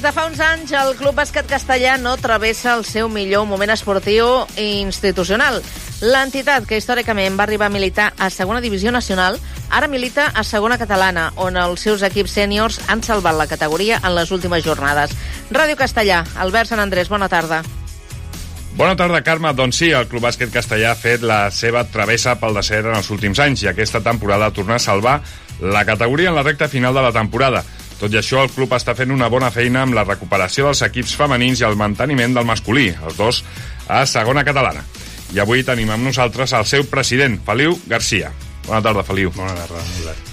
de fa uns anys, el Club Bàsquet Castellà no travessa el seu millor moment esportiu i institucional. L'entitat, que històricament va arribar a militar a segona divisió nacional, ara milita a segona catalana, on els seus equips sèniors han salvat la categoria en les últimes jornades. Ràdio Castellà, Albert Sant Andrés, bona tarda. Bona tarda, Carme. Doncs sí, el Club Bàsquet Castellà ha fet la seva travessa pel descens en els últims anys i aquesta temporada torna a salvar la categoria en la recta final de la temporada. Tot i això, el club està fent una bona feina amb la recuperació dels equips femenins i el manteniment del masculí, els dos a segona catalana. I avui tenim amb nosaltres el seu president, Feliu Garcia. Bona tarda, Feliu. Bona tarda, Albert.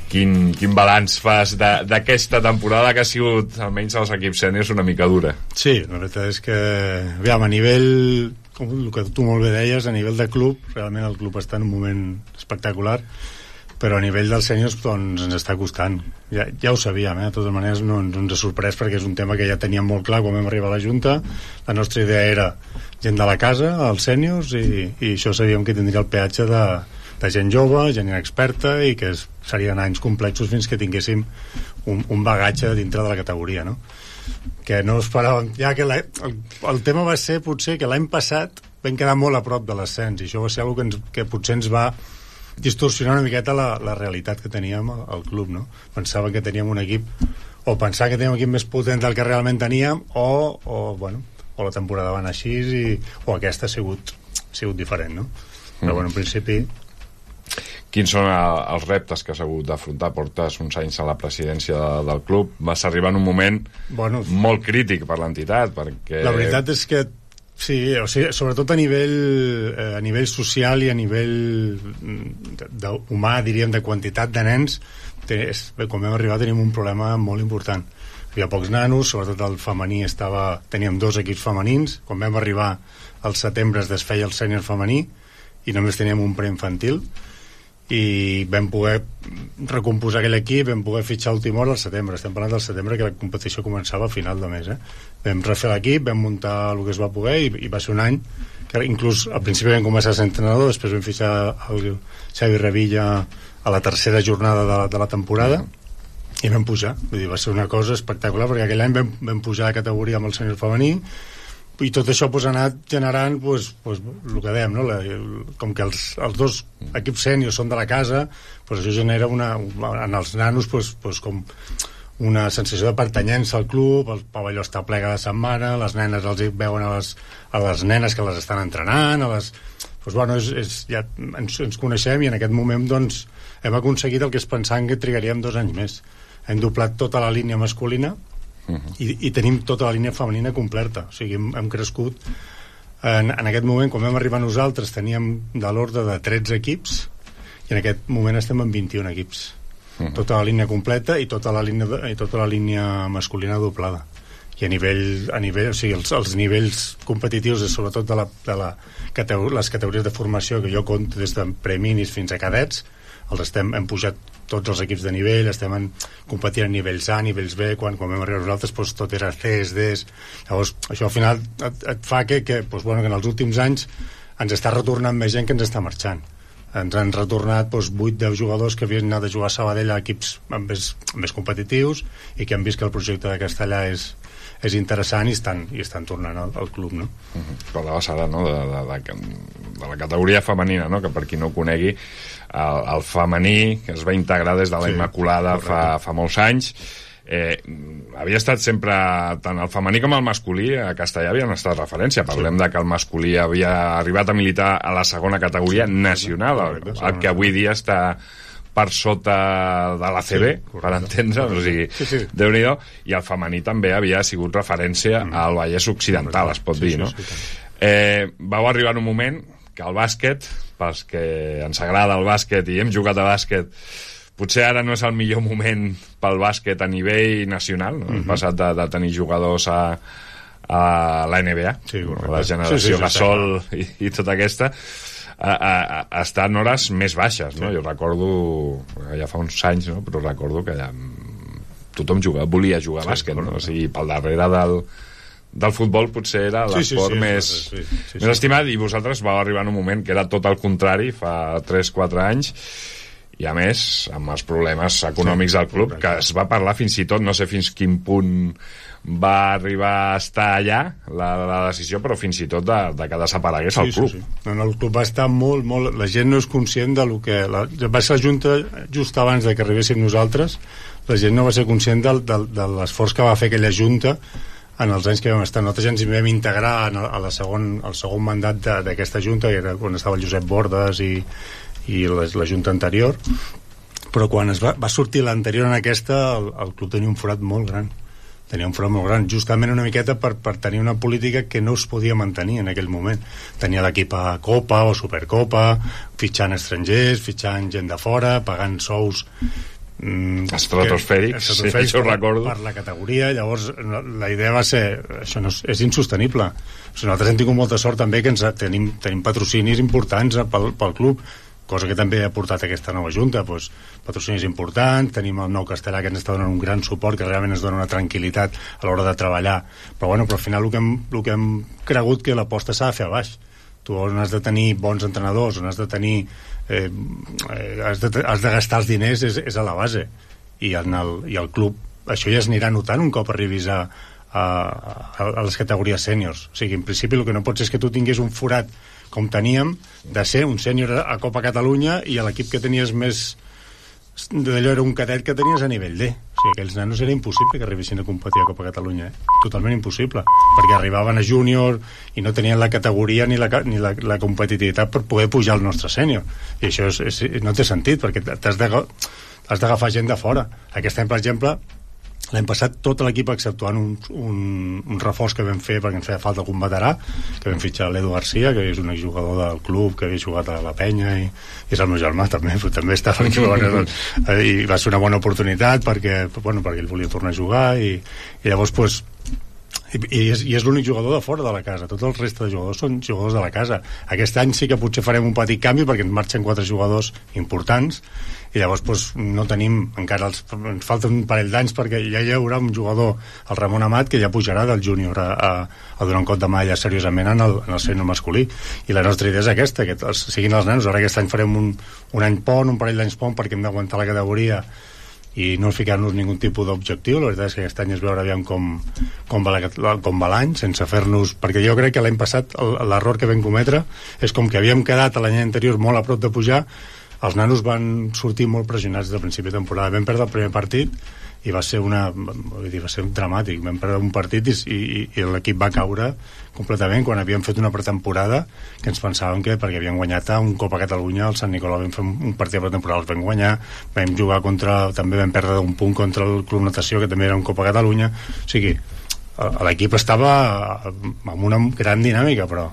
Quin balanç fas d'aquesta temporada que ha sigut, almenys als equips sèniors, una mica dura? Sí, la veritat és que, aviam, a nivell, com el que tu molt bé deies, a nivell de club, realment el club està en un moment espectacular, però a nivell dels sèniors doncs, ens està costant. Ja ho sabíem, de totes maneres no ens ha sorprès perquè és un tema que ja teníem molt clar quan vam arribar a la Junta. La nostra idea era gent de la casa, els sèniors, i això sabíem que tindria el peatge de gent jove, gent inexperta, i que serien anys complexos fins que tinguéssim un bagatge dintre de la categoria, no? Que no esperàvem. Ja que el tema va ser potser que l'any passat vam quedar molt a prop de l'ascens, i això va ser una cosa que potser ens va distorsionar una miqueta la realitat que teníem al club, no? Pensava que teníem un equip, o pensava que teníem un equip més potent del que realment teníem, o la temporada va anar així, o aquesta ha sigut diferent, no? Però bueno, en principi... Quins són els reptes que has hagut d'afrontar? Portes uns anys a la presidència del club, vas arribar en un moment molt crític per l'entitat, perquè... La veritat és que sí, o sigui, sobretot a nivell social i a nivell humà, diríem, de quantitat de nens, quan vam arribar tenim un problema molt important. Hi havia pocs nanos, sobretot el femení teníem 2 equips femenins. Quan vam arribar al setembre es desfeia el sènior femení i només teníem un preinfantil, i vam poder recomposar aquell equip, vam poder fitxar última hora al setembre. Estem parlant del setembre, que la competició començava a final de mes. Vam refer l'equip, vam muntar el que es va poder, i va ser un any que inclús al principi vam començar a ser entrenador, després vam fitxar el Xavi Revilla a la tercera jornada de la temporada, i vam pujar. Vull dir, va ser una cosa espectacular, perquè aquell any vam pujar de categoria amb el sènior femení, i tot això ha anat generant el que dèiem, no? Com que els 2 equips sèniors són de la casa, això genera en els nanos com una sensació de pertanyença al club, el pavelló està ple cada setmana, les nenes els veuen a les nenes que les estan entrenant, ja ens coneixem, i en aquest moment doncs, hem aconseguit el que es pensaven que trigaríem 2 anys més. Hem doblat tota la línia masculina, i tenim tota la línia femenina completa. O sigui, hem crescut en aquest moment. Quan vam arribar nosaltres teníem de l'ordre de 13 equips, i en aquest moment estem en 21 equips. Tota la línia completa i tota la línia masculina doblada. I a nivell o sigui, els nivells competitius, sobretot de les categories de formació que jo compto des de preminis fins a cadets, hem pujat tots els equips de nivell, estem competint a nivells A, nivells B. Quan vam arribar nosaltres tot era Cs, Ds. Llavors això al final et fa que en els últims anys ens està retornant més gent que ens està marxant. Ens han retornat 8-10 jugadors que havien anat a jugar a Sabadell a equips més competitius i que han vist que el projecte de Castellà és interessant i estan tornant al club, no? Parlaves ara, no?, de la categoria femenina, no?, que per qui no ho conegui, el femení, que es va integrar des de la Immaculada fa molts anys, havia estat sempre, tant el femení com el masculí a Castellà havien estat referència. Parlem de que el masculí havia arribat a militar a la segona categoria nacional, el que avui dia està per sota de la CB, per entendre, o sigui, Déu-n'hi-do, i el femení també havia sigut referència al Vallès Occidental, es pot dir, no? Vau arribar en un moment que el bàsquet, pels que ens agrada el bàsquet i hem jugat a bàsquet, potser ara no és el millor moment pel bàsquet a nivell nacional, no? Hem passat de tenir jugadors a la NBA, la generació Gasol i tota aquesta, a estar en hores més baixes, no? Jo recordo, ja fa uns anys, no?, però recordo que allà tothom volia jugar a bàsquet, no? O sigui, pel darrere del futbol potser era l'esport més estimat, i vosaltres vau arribar en un moment que era tot el contrari, fa 3-4 anys, i a més amb els problemes econòmics del club, que es va parlar fins i tot, no sé fins quin punt va arribar a estar allà la decisió, però fins i tot de que desaparegués el club. Sí. No, el club va estar molt... La gent no és conscient de lo que... Va ser la Junta just abans de que arribéssim nosaltres. La gent no va ser conscient de l'esforç que va fer aquella Junta en els anys que vam estar. Nosaltres ja ens hi vam integrar al segon mandat d'aquesta Junta, que era quan estava el Josep Bordes i la Junta anterior, però quan va sortir l'anterior en aquesta, el club tenia un forat molt gran. Justament una miqueta per tenir una política que no es podia mantenir en aquell moment. Tenia l'equip a Copa o Supercopa, fitxant estrangers, fitxant gent de fora, pagant sous estratosfèrics, això ho recordo, per la categoria. Llavors la idea va ser, això no és insostenible. Nosaltres hem tingut molta sort també que tenim patrocinis importants pel club, cosa que també ha portat aquesta nova Junta, patrocinis importants, tenim el Nou Castellà que ens està donant un gran suport, que realment ens dona una tranquil·litat a l'hora de treballar, però al final el que hem cregut que l'aposta s'ha de fer a baix. Tu on has de tenir bons entrenadors, on has de tenir has de gastar els diners és a la base, i el club això ja es anirà notant un cop arribis a les categories sèniors. O sigui, en principi el que no pot ser és que tu tinguis un forat com teníem, de ser un sènior a Copa Catalunya i l'equip que tenies més d'allò era un cadet que tenies a nivell D. O sigui, aquells nanos era impossible que arribessin a competir a Copa Catalunya, totalment impossible, perquè arribaven a júnior i no tenien la categoria ni la competitivitat per poder pujar al nostre sènior, i això no té sentit, perquè has d'agafar gent de fora. Aquest any, per exemple, l'any passat tot l'equip, exceptuant un reforç que vam fer perquè ens feia falta algun veterà, que vam fitxar l'Edu Garcia, que és un exjugador del club que havia jugat a la Penya, i és el meu germà també estava jugant, i va ser una bona oportunitat perquè ell volia tornar a jugar, i llavors i és l'únic jugador de fora de la casa. Tot el reste de jugadors són jugadors de la casa. Aquest any sí que potser farem un petit canvi perquè ens marxen 4 jugadors importants, i llavors no tenim encara ens falta un parell d'anys perquè ja hi haurà un jugador, el Ramon Amat, que ja pujarà del júnior a donar un cop de mà ja seriosament en el sènior masculí, i la nostra idea és aquesta, que siguin els nanos. Ara aquest any farem un any pont, un parell d'anys pont, perquè hem d'aguantar la categoria i no ficar-nos ningú tipus d'objectiu. La veritat és que aquest any és veure aviam com va l'any, sense fer-nos... Perquè jo crec que l'any passat l'error que vam cometre és com que havíem quedat l'any anterior molt a prop de pujar, els nanos van sortir molt pressionats de principi de temporada. Vam perdre el primer partit i va ser dramàtic. Vam perdre un partit i l'equip va caure completament quan havíem fet una pretemporada que ens pensàvem que, perquè havíem guanyat un Copa Catalunya, al Sant Nicolau vam fer un partit de pretemporada, els vam guanyar, vam jugar també vam perdre un punt contra el Club Natació, que també era un Copa Catalunya. O sigui, l'equip estava amb una gran dinàmica, però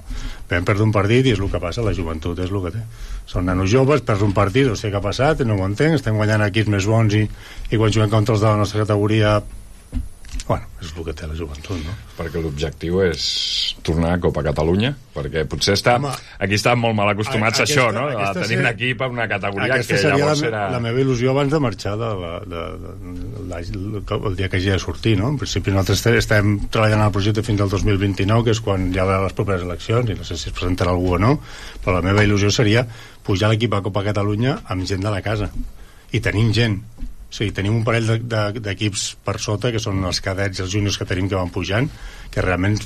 vam perdre un partit, i és el que passa, la joventut és el que té. Són nanos joves, perds un partit, no sé què ha passat, no ho entenc, estem guanyant equips més bons i quan juguem contra els de la nostra categoria, és el que té la joventut, no? Perquè l'objectiu és tornar a Copa Catalunya, perquè potser aquí estan molt mal acostumats a això, no? A tenir un equip amb una categoria que llavors era... La meva il·lusió abans de marxar el dia que hagi de sortir, no? En principi nosaltres estem treballant al projecte fins al 2029, que és quan hi haurà les properes eleccions, i no sé si es presentarà algú o no, però la meva il·lusió seria pujar l'equip a Copa Catalunya amb gent de la casa, i tenim gent. O sigui, tenim un parell d'equips per sota, que són els cadets i els júniors que tenim, que van pujant, que realment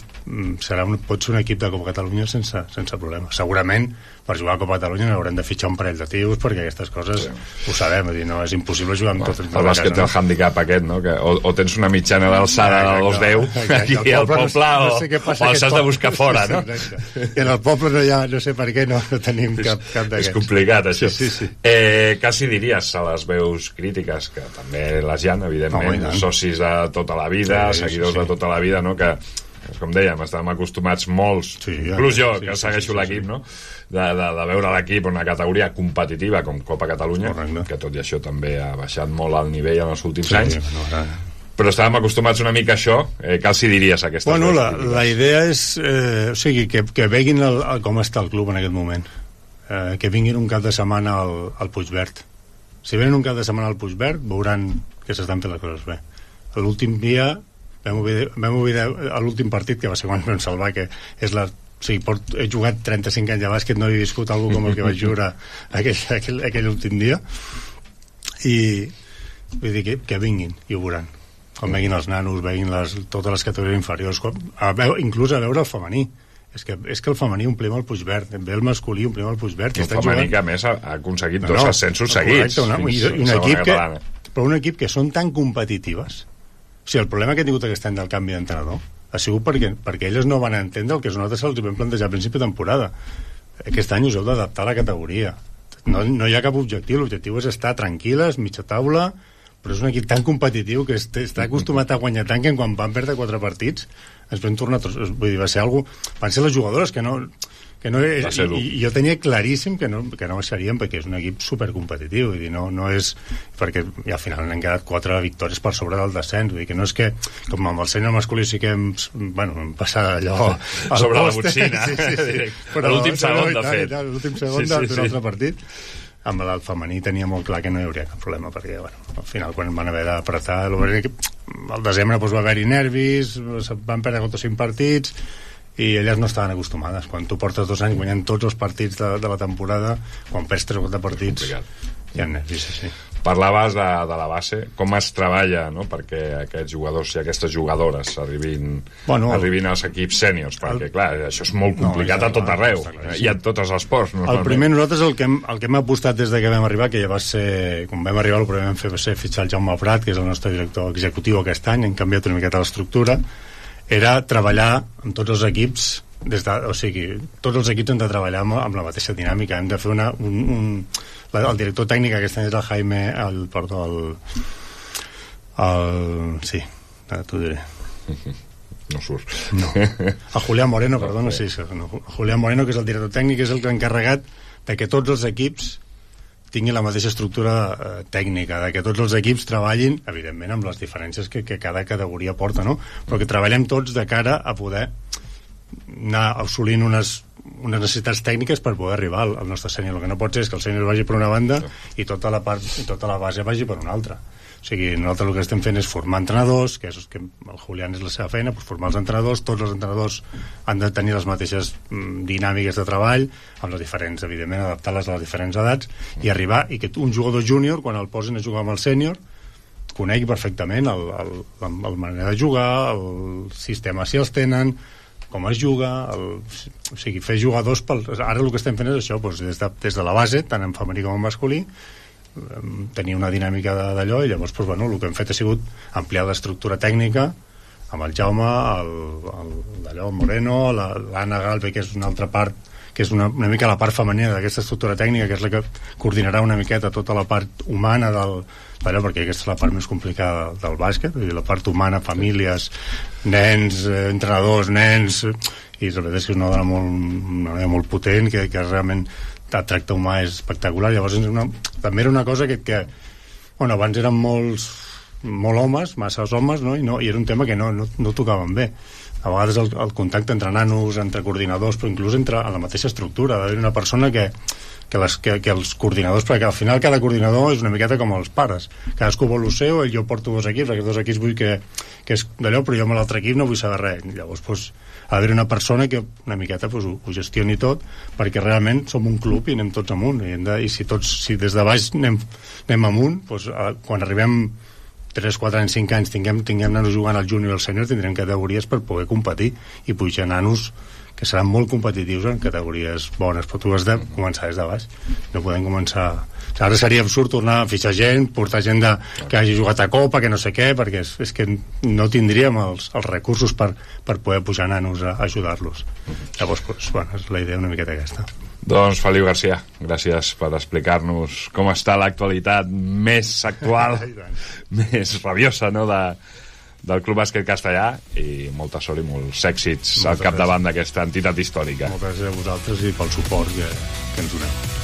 pot ser un equip de Copa Catalunya sense problema. Segurament per jugar a Copa Catalunya haurem de fitxar un parell de tios, perquè aquestes coses ho sabem, no és impossible jugar amb tot el bàsquet té el handicap aquest, no? Que o tens una mitjana d'alçada de 2,10 aquí al poble, o els has de buscar fora, no? I en el poble no sé per què no tenim cap d'aquests. És complicat, això. Sí. Quasi diries a les veus crítiques, que també les hi ha, evidentment, socis de tota la vida, seguidors de tota la vida, no? Que, com dèiem, estàvem acostumats molts, inclús jo, que segueixo l'equip, no? De veure l'equip en una categoria competitiva com Copa Catalunya, que tot i això també ha baixat molt el nivell en els últims anys, però estàvem acostumats una mica a això. Què els diries a aquestes veus? La idea és que veguin com està el club en aquest moment, que vinguin un cap de setmana al Puigverd. Si venen un cap de setmana al Puigverd, veuran que s'estan fent les coses bé. L'últim dia vam oblidar l'últim partit, que va ser quan vam salvar, que és he jugat 35 anys de bàsquet, no he viscut alguna com el que vaig jugar aquell últim dia, i vull dir que vinguin i ho veuran com veguin els nanos, veguin totes les categories inferiors, inclús a veure el femení. És que el femení omplim el Puigverd, ve el masculí omplim el Puigverd. El femení que a més ha aconseguit dos ascensos seguits. Però un equip que són tan competitives. O sigui, el problema que ha tingut aquest any del canvi d'entrenador ha sigut perquè elles no van entendre el que nosaltres els vam plantejar a principi de temporada. Aquest any us heu d'adaptar a la categoria. No hi ha cap objectiu, l'objectiu és estar tranquil·les, mitja taula, però és un equip tan competitiu que està acostumat a guanyar tant que quan van perdre 4 partits ens vam tornar tots, vull dir, van ser les jugadores que no i jo tenia claríssim que no baixarien perquè és un equip supercompetitiu, vull dir, no és perquè al final n'han quedat 4 victòries per sobre del descens, vull dir que no és que com amb el sènior masculí sí que hem passat allò sobre la botzina l'últim segon de fet l'últim segon d'un altre partit. Amb el femení tenia molt clar que no hi hauria cap problema perquè al final quan van haver d'apretar al desembre va haver-hi nervis, van perdre 5 partits i elles no estaven acostumades. Quan tu portes 2 anys guanyant tots els partits de la temporada, quan perds 3 o 4 partits hi ha nervis, sí. Parlaves de la base, com es treballa, no?, perquè aquests jugadors i aquestes jugadores arribin als equips sèniors, perquè clar, això és molt complicat a tot arreu i a tots els esports. El primer, nosaltres el que hem apostat des que vam arribar, que ja va ser, quan vam arribar el primer vam fer va ser fitxar el Jaume Prat, que és el nostre director executiu aquest any, hem canviat una miqueta l'estructura, era treballar amb tots els equips o sigui, tots els equips han de treballar amb la mateixa dinàmica, hem de fer el director tècnic aquest any és el Jaime sí, t'ho diré no surt el Julián Moreno, perdona, sí, Julián Moreno, que és el director tècnic, és el encarregat de que tots els equips tinguin la mateixa estructura tècnica, de que tots els equips treballin, evidentment amb les diferències que cada categoria porta, no? Però que treballem tots de cara a poder anar assolint unes necessitats tècniques per poder arribar al nostre sènior. El que no pot ser és que el sènior vagi per una banda i tota la base vagi per una altra. O sigui, nosaltres el que estem fent és formar entrenadors, que el Julián és la seva feina, formar els entrenadors, tots els entrenadors han de tenir les mateixes dinàmiques de treball, amb les diferents, evidentment, adaptar-les a les diferents edats, i arribar, i que un jugador júnior, quan el posin a jugar amb el sènior, conegui perfectament la manera de jugar, el sistema si els tenen, com es juga, o sigui, fer jugadors ara el que estem fent és això, des de la base, tant en femení com en masculí, tenir una dinàmica d'allò, i llavors el que hem fet ha sigut ampliar l'estructura tècnica amb el Jaume, el Moreno, l'Anna Galve, que és una altra part, que és una mica la part femenina d'aquesta estructura tècnica, que és la que coordinarà una miqueta tota la part humana d'allò, perquè aquesta és la part més complicada del bàsquet, la part humana, famílies, nens, entrenadors, nens, i la veritat és que és una dona molt potent, que realment el tracte humà és espectacular. Llavors també era una cosa que abans eren molt homes, masses homes, no? I era un tema que no tocaven bé. A vegades el contacte entre nanos, entre coordinadors, però inclús entre la mateixa estructura, d'haver una persona que els coordinadors, perquè al final cada coordinador és una miqueta com els pares, cadascú vol el seu, jo porto 2 equips, aquests 2 equips vull que és d'allò, però jo amb l'altre equip no vull saber res. Llavors ha d'haver una persona que una miqueta ho gestioni tot, perquè realment som un club i anem tots amunt, i si des de baix anem amunt, quan arribem 3, 4 anys, 5 anys tinguem nanos jugant al júnior i al sènior, tindrem categories per poder competir i pujar nanos que seran molt competitius en categories bones, però tu has de començar des de baix, no podem començar. Ara seria absurd tornar a fitxar gent, portar gent que hagi jugat a Copa, que no sé què, perquè és que no tindríem els recursos per poder pujar nanos a ajudar-los. Llavors, és la idea una miqueta aquesta. Doncs Feliu Garcia, gràcies per explicar-nos com està l'actualitat més actual, més rabiosa, no?, del Club Bàsquet Castellà, i molta sort i molts èxits al capdavant d'aquesta entitat històrica. Moltes gràcies a vosaltres i pel suport que ens doneu.